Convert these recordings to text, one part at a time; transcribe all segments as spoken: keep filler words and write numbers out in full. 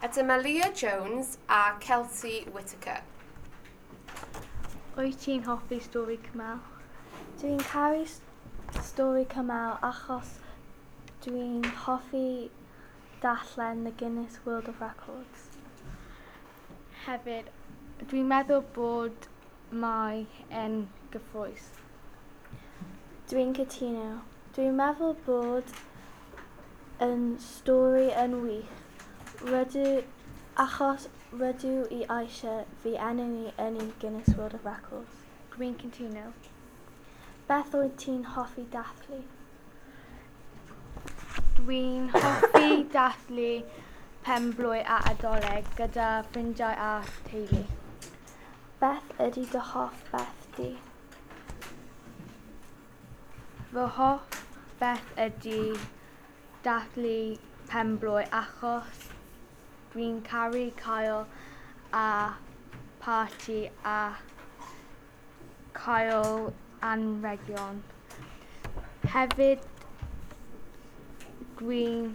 A dyma Leah Jones a Kelsey Whittaker. Wyt ti'n hoffi stori Kamal? Dwi'n caru stori Kamal achos dwi'n hoffi darllen the Guinness World of Records. Hefyd, dwi'n meddwl bod mae yn gyffrous. Dwi'n cytuno. Dwi'n meddwl bod yn stori yn wych. Rydw, achos rydw i eisiau fy enw i yn y Guinness World of Records. Dwi'n cytuno. Beth wyt ti'n hoffi dathlu? Dwi'n hoffi dathlu penblwydd a Nadolig gyda ffrindiau a teulu. Beth ydy dy hoff beth di? Fy hoff beth ydy dathlu penblwydd achos dwi'n caru cael a parti a cael anrhegion. Hefyd dwi'n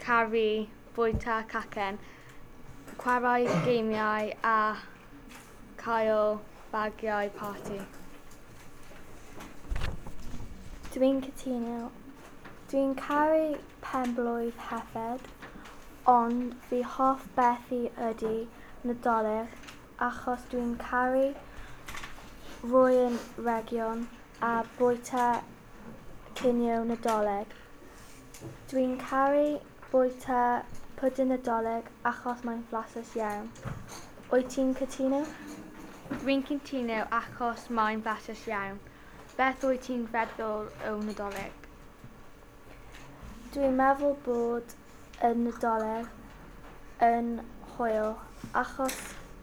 caru bwyta cacen, chwarae gêmiau a cael bagiau parti. Dwi'n cytuno. Dwi'n caru penblwydd hefyd, ond fy hoff beth i ydy Nadolig achos dwi'n caru rhoi anrhegion a bwyta cinio Nadolig. Dwi'n caru bwyta pwdin Nadolig achos mae'n flasus iawn. Wyt ti'n cytuno? Dwi'n cytuno achos mae'n flasus iawn. Beth wyt ti'n feddwl o Nadolig? Dwi'n meddwl bod y Nadolig yn hwyl achos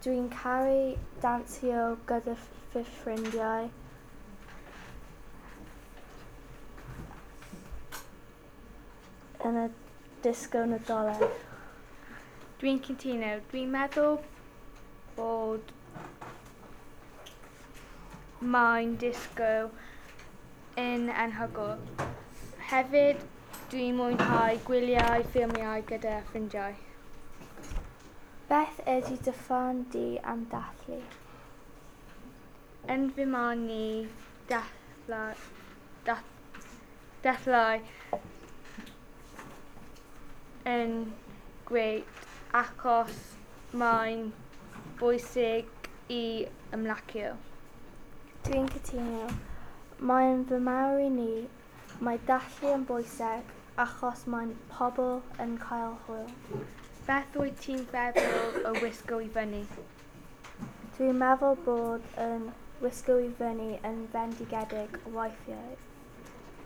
dwi'n caru dansio gyda fy ffrindiau. Yn y disgo Nadolig. Dwi'n cytuno. Dwi'n meddwl bod mae'n disgo yn anhygoel. Hefyd, dwi'n mwynhau gwyliau ffilmiau gyda ffrindiau. Beth ydy dy farn di am dathlu? Yn fy marn i, dathlu, dath, dathlu yn grêt achos mae'n bwysig i ymlacio. Dwi'n cytuno. Mae'n fy mawr i ni, mae dathlu yn bwysig achos mae pobl yn cael hwyl. Beth wyt ti'n feddwl o wisgo i fyny? Dwi'n meddwl bod yn wisgo i fyny yn fendigedig weithiau.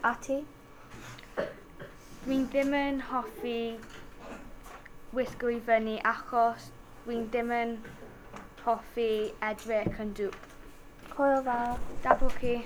A ti? Dwi'n ddim yn hoffi wisgo i fyny achos dwi'n ddim yn hoffi edrych yn dwp. Hwyl fawr. Da bo chi.